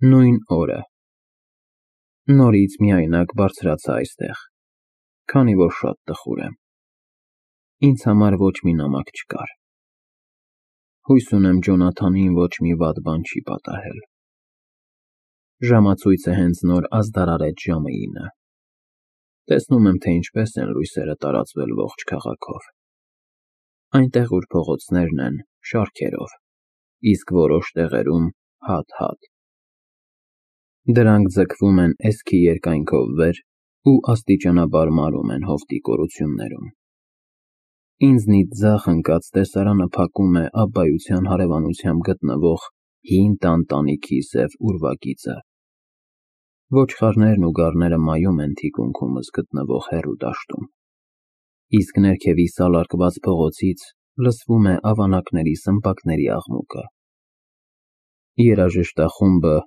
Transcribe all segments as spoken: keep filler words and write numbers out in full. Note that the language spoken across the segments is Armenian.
Նույն օրը։ Նորից միայնակ բարձրացա այստեղ, քանի որ շատ տխուր եմ։ Ինձ համար ոչ մի նամակ չկար։ Հույս ունեմ Ջոնաթանին ոչ մի վատ բան չի պատահել։ Ժամացույցը հենց նոր ազդարարեց ժամը ինը։ Տեսնում եմ, թե ինչպես են լույսերը տարածվել ողջ քաղաքով։ Այնտեղ, ուր փողոցներն են, շարքերով, իսկ որոշ տեղերում հատ֊հատ։ Դրանք ձգվում են էսքի երկայնքով վեր ու աստիճանաբար մարում են հովտի կորություններում։ Ինձնից ձախ ընկած տեսարանը փակում է Աբբայության հարևանությամբ գտնվող հին տան տանիքի սև ուրվագիծը։ Ոչխարներն ու գառները մայում են թիկունքումս գտնվող հեռու դաշտում, իսկ ներքևի սալարկված փողոցից լսվում է ավանակների սմբակների աղմուկը։ Երաժշտախումբը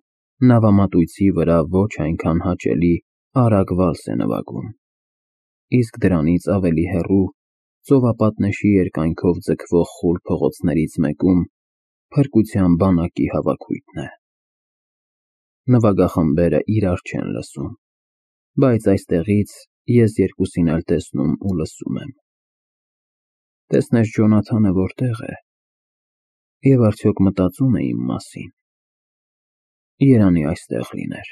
նավամատույցի վրա ոչ այնքան հաճելի արագ վալս է նվագում, իսկ դրանից ավելի հեռու ծովապատնեշի երկայնքով ձգվող խուլ փողոցներից մեկում փրկության բանակի հավաքույթն է։ Նվագախմբերը իրար չեն լսում, բայց այստեղից ես երկուսին էլ տեսնում ու լսում եմ։ Տեսնես Ջոնաթանը որտե՞ղ է, և արդյոք մտածում է իմ մասին։ Երանի այստեղ լիներ։